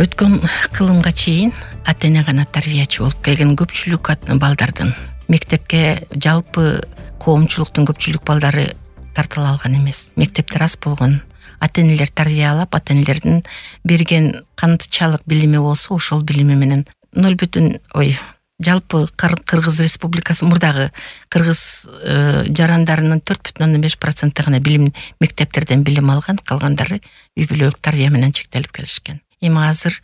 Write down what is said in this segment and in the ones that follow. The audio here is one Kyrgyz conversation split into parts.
Өткөн кылымга чейин ата эне гана тарбиячы болуп келген көпчүлүк балдардын мектепке жалпы коомчулуктун көпчүлүк балдары тартыла алган эмес. Мектептер аз болгон. Ата энелер тарбиялап, ата энелердин берген канчалык билими болсо, ошол билими менен жалпы Кыргыз Республикасы мурдагы кыргыз жарандарынын 4,5% гана билим мектептерден билим алган, калгандары үй бүлөлүк тарбия менен чектелип келишкен. Эми азыр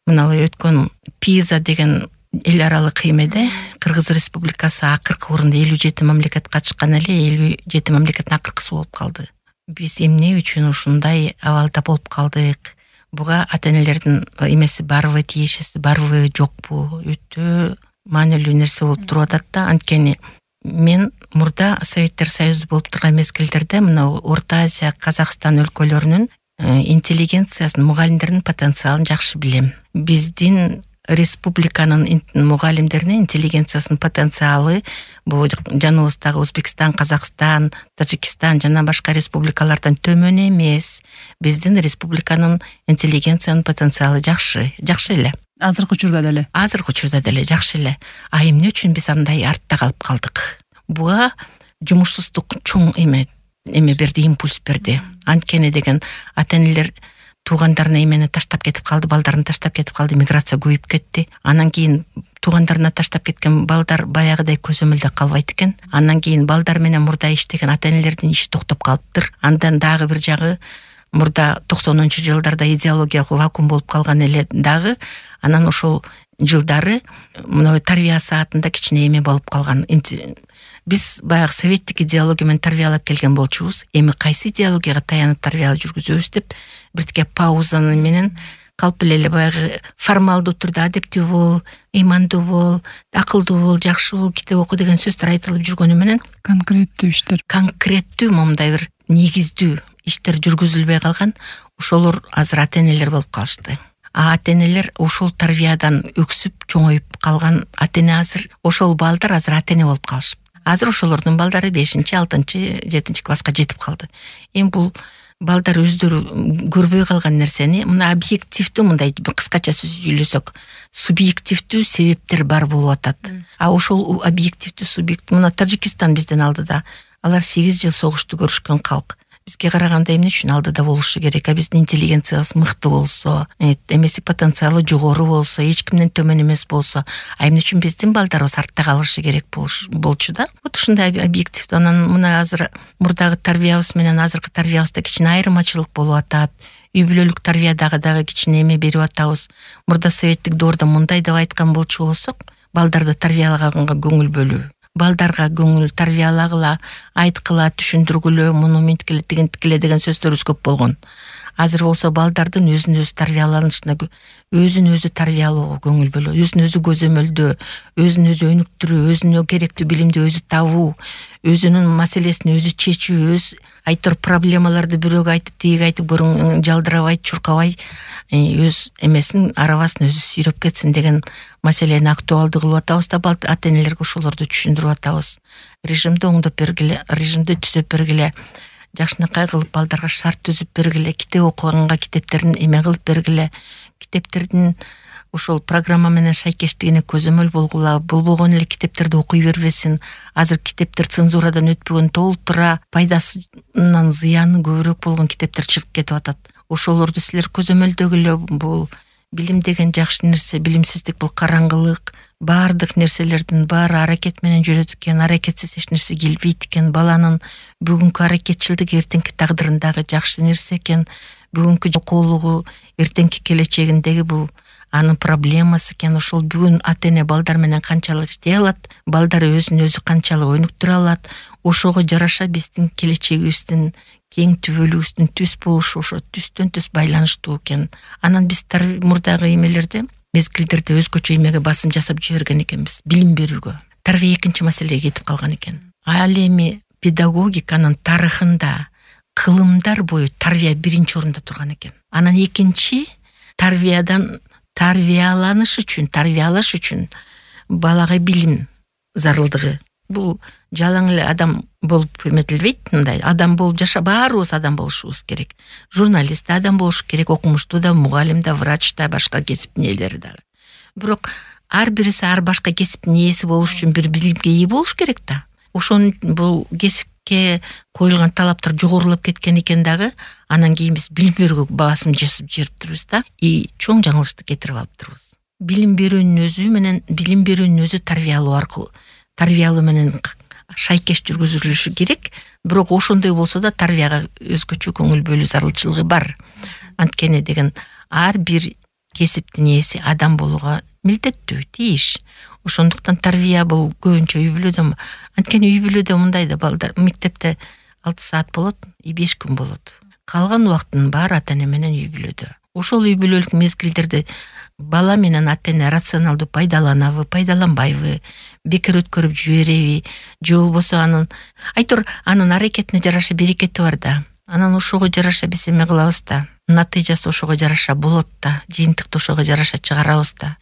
мына өткөн ПИЗа деген эл аралык кыймеде Кыргыз Республикасы акыркы орунда 57 мамлекет катышкан эле 57 мамлекеттин акыркысы болуп калды. Биз эмне үчүн ушундай абалда болуп калдык? Буга ата энелердин эмеси барбы, тиешеси барбы, жокпу? Өтө маанилүү нерсе болуп туруп атат да. Анткени мен мурда Советтер Союзу болуп турган мезгилдерде мына Орто Азия, Казакстан өлкөлөрүнүн интеллигенциясын, мугалимдердин потенциалын жакшы билем. Биздин республиканын мугалимдеринин интеллигенциясынын потенциалы бул жаныбыздагы Өзбекстан, Казакстан, Тажикстан жана башка республикалардан төмөн эмес. Биздин республиканын интеллигенциянын потенциалы жакшы эле. Азыркы учурда деле жакшы эле. А эмне үчүн биз андай артта калып калдык? Буга жумушсуздук чоң эме берди, импульс берди. Анткени деген ата энелер туугандарына эмени таштап кетип калды, балдарын таштап кетип калды, миграция көбөйүп кетти. Анан кийин туугандарына таштап кеткен балдар баягыдай көзөмөлдө калбайт экен. Анан кийин балдар менен мурда иштеген ата энелердин иши токтоп калыптыр. Андан дагы бир жагы мурда 90-жылдарда идеологиялык вакуум болуп калган эле дагы. Анан ошол жылдары мына тарбия саатында кичине эме болуп калган. Биз баягы советтик идеология менен тарбиялап келген болчубуз. Эми кайсы идеологияга таянып тарбия жүргүзөбүз деп биртке паузаны менен калп эле баягы формалдуу түрдө адептүү бол, ыймандуу бол, акылдуу бол, жакшы бол, китеп оку деген сөздөр айтылып жүргөнү менен конкреттүү момундай бир негиздүү иштер жүргүзүлбөй калган. Ошолор азыр ата энелер болуп калышты. Ата энелер ошол тарбиядан өксүп чоңоюп калган ата эне азыр, ошол балдар азыр ата эне болуп калышып. Азыр ошолордун балдары 5-6-7 класска жетип калды. Эми бул балдар өздөрү көрбөй калган нерсени мына объективдүү, мындай кыскача сүйлөсөк, субъективдүү себептер бар болуп атат. А ошол объективдүү субъект мына Тажикстан бизден алдыда. Алар 8 жыл согушту көрүшкөн калк. Бизге караганда эмне үчүн алдыда болушу керек? Биздин интеллигенциябыз мыкты болсо, эмеси потенциалы жогору болсо, эч кимден төмөн эмес болсо, эмне үчүн биздин балдарыбыз артта калышы керек болчу да? Вот ушундай объективдүү. Анан мына азыр мурдагы тарбиябыз менен азыркы тарбиябызда кичине айырмачылык болуп атат. Үй бүлөлүк тарбиядагы кичине эме берип атабыз. Мурда советтик доордо мындай деп айткан болчу болсок, балдарды тарбиялаганга көңүл бөлүү. Балдарга көңүл тарбиялагыла, айткыла, түшүндүргүлө, муну менткиле, тигинтикиле деген сөздөрүбүз көп болгон. Азыр болсо балдардын өзүн өзү тарбияланышына, өзүн өзү тарбиялоого көңүл бөлүү, өзүн өзү көзөмөлдөө, өзүн өзү өнүктүрүү, өзүнө керектүү билимди өзү табуу, өзүнүн маселесин өзү чечүү, өз айтор проблемаларды бирөөгө айтып, тиги айтып көрүң, жалдырабай, чуркабай, өз эмесин, арабасын өзү сүйрөп кетсин деген маселени актуалдуу кылып атабыз да, ата энелерге ошолорду түшүндүрүп атабыз. Режимди оңдоп бергиле, режимди түзөп бергиле, жакшынакай кылып балдарга шарт түзүп бергиле, китеп окуганга китептерин эме кылып бергиле, китептердин ошол программа менен шайкештигине көзөмөл болгула, болбогон эле китептерди окуй бербесин. Азыр китептер цензурадан өтпөгөн, толтура пайдасынан зыяны көбүрөөк болгон китептер чыгып кетип атат. Ошолорду силер көзөмөлдөгүлө. Бул билим деген жакшы нерсе, билимсиздик бул караңгылык. Баардык нерселердин баары аракет менен жүрөт экен, аракетсиз эч нерсе келбейт экен. Баланын бүгүнкү аракетчилдиги эртеңки тагдырындагы жакшы нерсе экен. Бүгүнкү жокоолугу эртеңки келечегиндеги бул анын проблемасы экен. Ошол бүгүн ата эне балдар менен канчалык иштей алат, балдар өзүн өзү канчалык өнүктүрө алат, ошого жараша биздин келечегибиздин кең түбөлүгүбүздүн түз болушу ошо түстөн түз байланыштуу экен. Анан биз мурдагы эмелерде, мезгилдерде өзгөчө эмеге басым жасап жиберген экенбиз, билим берүүгө. Тарбия экинчи маселеге кетип калган экен. Ал эми педагогиканын тарыхында кылымдар бою тарбия биринчи орунда турган экен. Анан экинчи тарбиядан тарбиялаш үчүн балага билим зарылдыгы бул жалаң эле адам болуп эметилбейт. Мындай адам болуп баарыбыз адам болушубуз керек. Журналист да адам болуш керек, окумуштуу да, мугалим да, врач да, башка кесиптин ээлери дагы. Бирок ар бириси ар башка кесиптин ээси болуш үчүн бир билимге ээ болуш керек да. Ошон бул кесипке коюлган талаптар жогорулап кеткен экен дагы, анан кийин биз билим берүүгө басым жасап жүрүптүрбүз да. Чоң жаңылышты кетирип алыптырбыз. Билим берүүнүн өзү тарбиялоо менен шайкеш жүргүзүлүшү керек. Бирок ошондой болсо да тарбияга өзгөчө көңүл бөлүү зарылчылыгы бар. Анткени деген ар бир кесиптин ээси адам болууга милдеттүү, тийиш. Ошондуктан тарбия бул көбүнчө үй бүлөдө. Анткени үй бүлөдө мындай да, балдар мектепте 6 саат болот, 5 күн болот. Калган убактын баары ата-эне менен үй бүлөдө. Ошол үй бүлөлүк мезгилдерди бала менен ата-эне рационалдуу пайдаланабы, пайдаланбайбы, бекер өткөрүп жибереби, же болбосо анын аракетине жараша берекети бар да. Анан ошого жараша биз эме кылабыз да. Натыйжасы ошого жараша болот да, жыйынтыкты ошого жараша чыгарабыз да.